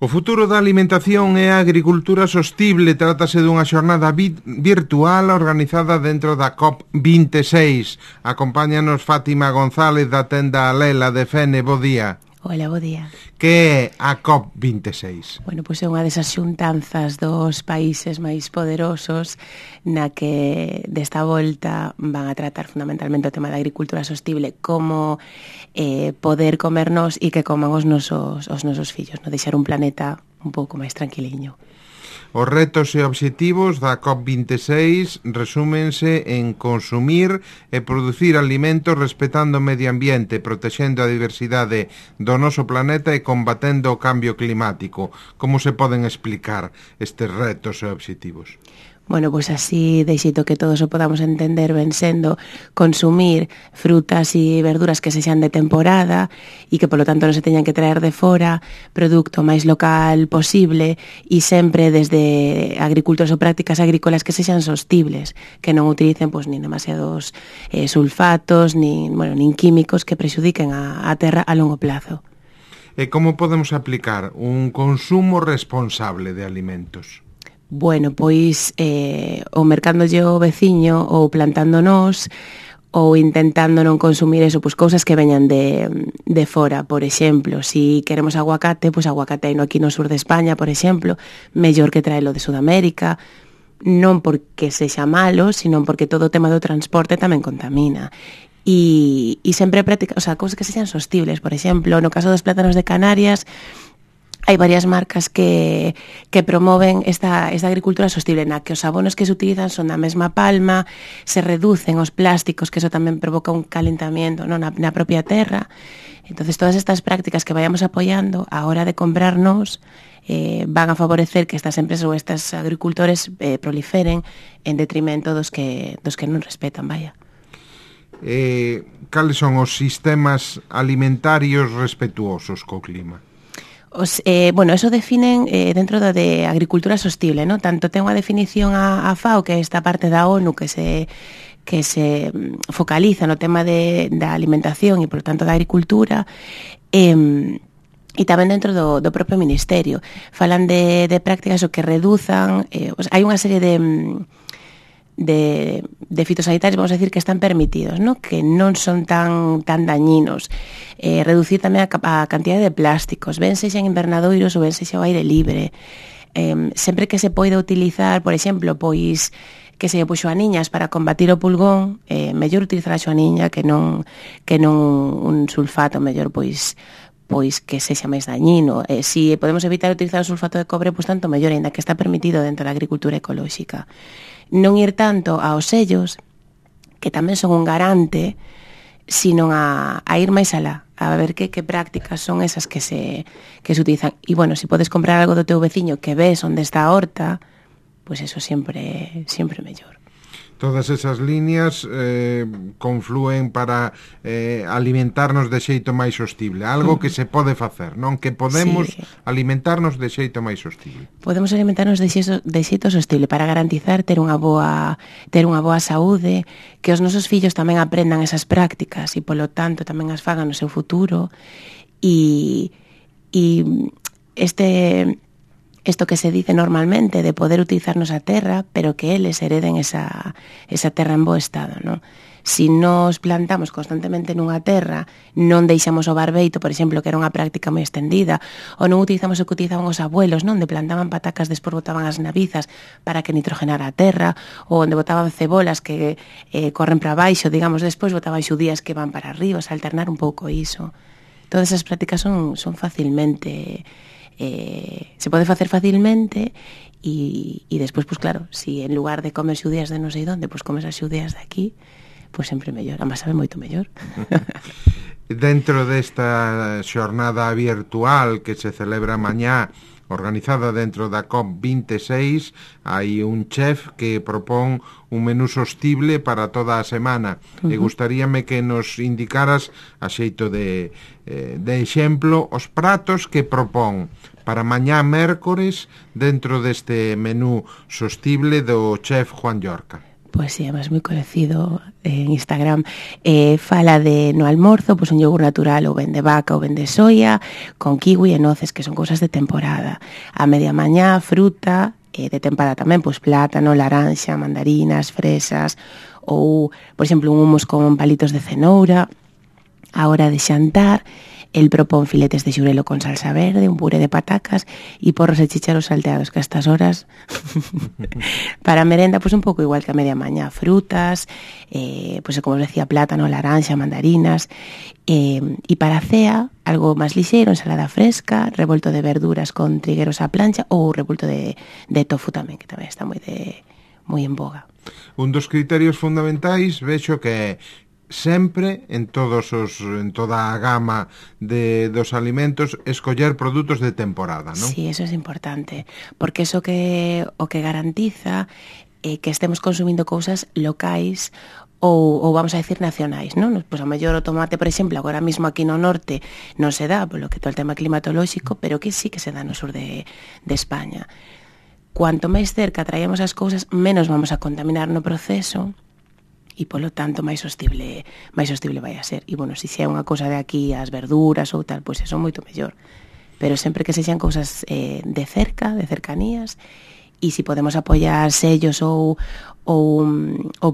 O futuro da alimentación e a agricultura sostible. Trátase dunha xornada virtual organizada dentro da COP26. Acompáñanos Fátima González da tenda Alela de Fene. Bo día. Hola, bo día. Que é a COP26? Bueno, pois é unha desas xuntanzas dos países máis poderosos na que desta volta van a tratar fundamentalmente o tema da agricultura sostible, como poder comernos e que coman os nosos fillos, no deixar un planeta un pouco máis tranquiliño. Os retos e obxectivos da COP26 resúmense en consumir e producir alimentos respetando o medio ambiente, protexendo a diversidade do noso planeta e combatendo o cambio climático. Como se poden explicar estes retos e obxectivos? Bueno, pois así, de xeito que todos o podamos entender, ven sendo consumir frutas e verduras que sexan de temporada e que, polo tanto, non se teñan que traer de fora, produto máis local posible e sempre desde agricultores ou prácticas agrícolas que sexan sostibles, que non utilicen pois, nin demasiados sulfatos, nin químicos que prexudiquen a terra a longo plazo. E como podemos aplicar un consumo responsable de alimentos? Bueno, pois o mercándolle o veciño ou plantándonos ou intentando non consumir eso, pois cousas que veñan de fora. Por exemplo, si queremos aguacate, pois aguacate hai no aquí no sur de España, por exemplo, mellor que traelo de Sudamérica, non porque sexa malo, sino porque todo o tema do transporte tamén contamina. E sempre práctica, o sea, cousas que sexan sostibles. Por exemplo, no caso dos plátanos de Canarias, hai varias marcas que promoven esta agricultura sostible, na que os abonos que se utilizan son da mesma palma, se reducen os plásticos, que eso tamén provoca un calentamiento, non, na propia terra. Entonces, todas estas prácticas que vayamos apoiando a hora de comprarnos van a favorecer que estas empresas ou estes agricultores proliferen en detrimento dos que non respetan, vaya. Cales son os sistemas alimentarios respetuosos co clima? Bueno, eso definen dentro de agricultura sostible, ¿no? Tanto ten unha definición a FAO, que é esta parte da ONU que se focaliza no tema da alimentación e, por tanto, da agricultura, e tamén dentro do propio Ministerio. Falan de prácticas o que reduzan, hai unha serie de fitosanitarios, vamos a decir, que están permitidos, ¿no? Que non son tan dañinos. Reducir tamén a cantidad de plásticos, ben sexa en invernadoiros ou ben sexa ao aire libre. Sempre que se poida utilizar, por exemplo, pois que se puxo a niñas para combatir o pulgón, mellor utilizar a xoaniña que non un sulfato, mellor pois que sexa máis dañino. Si podemos evitar utilizar o sulfato de cobre, pois tanto mellor, ainda que está permitido dentro da agricultura ecolóxica. Non ir tanto aos sellos, que tamén son un garante, sino a ir máis alá, a ver que prácticas son esas que se utilizan. E, bueno, se podes comprar algo do teu veciño que ves onde está a horta, pois eso sempre mellor. Todas esas líneas conflúen para alimentarnos de xeito máis sostible. Algo que se pode facer, non? Que podemos alimentarnos de xeito máis sostible. Podemos alimentarnos de xeito sostible para garantizar ter unha boa saúde, que os nosos fillos tamén aprendan esas prácticas e, polo tanto, tamén as fagan no seu futuro. E isto que se dice normalmente de poder utilizarnos a terra, pero que eles hereden esa terra en bo estado, non? Si nos plantamos constantemente nunha terra, non deixamos o barbeito, por exemplo, que era unha práctica moi extendida, ou non utilizamos o que utilizaban os abuelos, non? De plantaban patacas, despois botaban as nabizas para que nitrogenara a terra, ou onde botaban cebolas que corren para baixo, digamos, despois botaban xudías que van para arriba, o sea, alternar un pouco iso. Todas esas prácticas son facilmente... se pode facer facilmente e despois, pois claro, si en lugar de comer xudías de non sei onde, pois comes as xudías de aquí, pois sempre mellor, ambas sabe moito mellor. Dentro desta xornada virtual que se celebra mañá, organizada dentro da COP26, hai un chef que propón un menú sostible para toda a semana. E gustaríame que nos indicaras, a xeito de exemplo, os pratos que propón para mañá mércores dentro deste menú sostible do chef Juan Llorca. Pois sí, además moi coñecido en Instagram. Fala de no almorzo, pois un yogur natural ou ben de vaca ou ben de soia, con kiwi e noces, que son cousas de temporada. A media mañá, fruta, de temporada tamén, pois plátano, laranxa, mandarinas, fresas, ou, por exemplo, un hummus con palitos de cenoura. A hora de xantar, el propón filetes de xurelo con salsa verde, un puré de patacas e porros e chícharos salteados, que a estas horas para a merenda, pois un pouco igual que a media mañá, frutas, pois como os decía, plátano, laranxa, mandarinas, e para a cea, algo máis lixeiro, ensalada fresca, revolto de verduras con trigueros á plancha ou revolto de tofu tamén, que tamén está moi en boga. Un dos criterios fundamentais vexo que sempre en toda a gama dos alimentos escoller produtos de temporada, non? Sí, eso es importante, porque eso o que garantiza que estemos consumindo cousas locais ou vamos a decir nacionais, non? Pois a mellor o tomate, por exemplo, agora mesmo aquí no norte non se dá, polo que todo o tema climatolóxico, pero que sí que se dá no sur de España. Cuanto máis cerca traemos as cousas, menos vamos a contaminar no proceso, e polo tanto máis sostible vai a ser. E bueno, se xa é unha cousa de aquí, as verduras ou tal, pois eso moito mellor. Pero sempre que sexan cousas de cerca, de cercanías, e se podemos apoiar sellos ou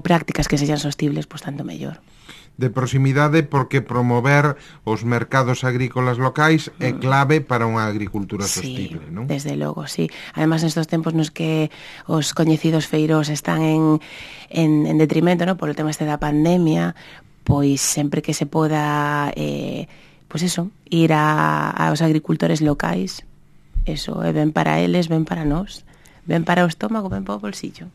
prácticas que sexan sostibles, pois tanto mellor. De proximidade, porque promover os mercados agrícolas locais é clave para unha agricultura sostible, non? Sí, desde logo, sí. Además, nestos tempos nos que os coñecidos feiros están en detrimento, non? Por o tema este da pandemia, pois sempre que se poda pois eso, ir aos agricultores locais, eso é ben para eles, ben para nós, ben para o estómago, ben para o bolsillo.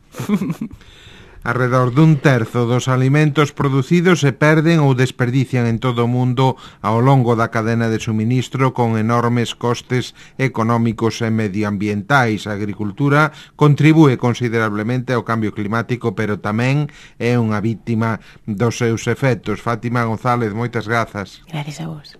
Arredor dun terzo dos alimentos producidos se perden ou desperdician en todo o mundo ao longo da cadena de suministro con enormes costes económicos e medioambientais. A agricultura contribúe considerablemente ao cambio climático, pero tamén é unha víctima dos seus efectos. Fátima González, moitas grazas. Gracias a vos.